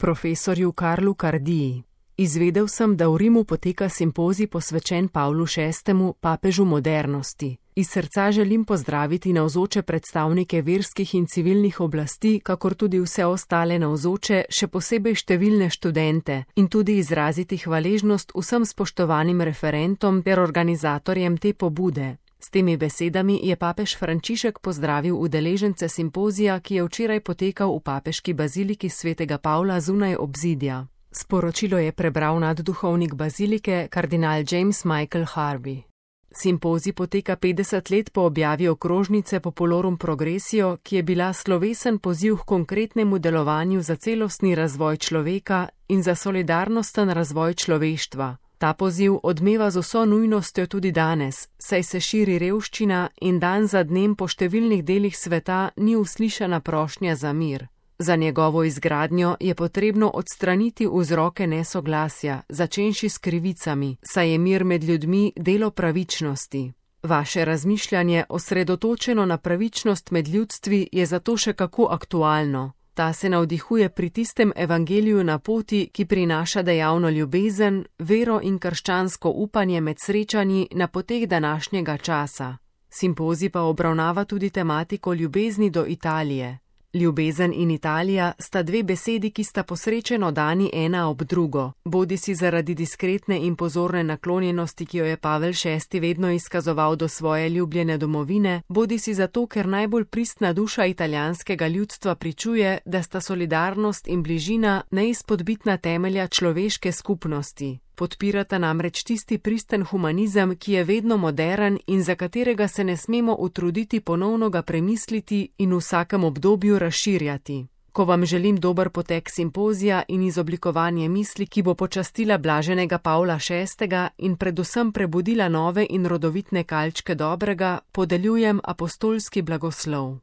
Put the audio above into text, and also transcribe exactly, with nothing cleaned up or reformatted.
profesorju Karlu Cardii. Izvedel sem, da v Rimu poteka simpozij posvečen Pavlu šestemu, papežu modernosti. Iz srca želim pozdraviti navzoče predstavnike verskih in civilnih oblasti, kakor tudi vse ostale navzoče, še posebej številne študente, in tudi izraziti hvaležnost vsem spoštovanim referentom ter organizatorjem te pobude. S temi besedami je papež Frančišek pozdravil udeležence simpozija, ki je včeraj potekal v papeški baziliki svetega Pavla zunaj obzidja. Sporočilo je prebral nadduhovnik bazilike, kardinal James Michael Harvey. Simpozij poteka petdeset let po objavi okrožnice Populorum Progressio, ki je bila slovesen poziv k konkretnemu delovanju za celostni razvoj človeka in za solidarnosten razvoj človeštva. Ta poziv odmeva z vso nujnostjo tudi danes, saj se širi revščina in dan za dnem po številnih delih sveta ni uslišana prošnja za mir. Za njegovo izgradnjo je potrebno odstraniti vzroke nesoglasja, začenši s krivicami, saj je mir med ljudmi delo pravičnosti. Vaše razmišljanje, osredotočeno na pravičnost med ljudstvi, je zato še kako aktualno. Ta se navdihuje pri tistem evangeliju na poti, ki prinaša dejavno ljubezen, vero in krščansko upanje med srečanji na poteh današnjega časa. Simpozij pa obravnava tudi tematiko ljubezni do Italije. Ljubezen in Italija sta dve besedi, ki sta posrečeno dani ena ob drugo, bodisi zaradi diskretne in pozorne naklonjenosti, ki jo je Pavel šesti vedno izkazoval do svoje ljubljene domovine, bodisi zato, ker najbolj pristna duša italijanskega ljudstva pričuje, da sta solidarnost in bližina neizpodbitna temelja človeške skupnosti. Podpirata namreč tisti pristen humanizem, ki je vedno moderen in za katerega se ne smemo utruditi ponovno ga premisliti in v vsakem obdobju razširjati. Ko vam želim dober potek simpozija in izoblikovanje misli, ki bo počastila blaženega Pavla šestega in predvsem prebudila nove in rodovitne kalčke dobrega, podeljujem apostolski blagoslov.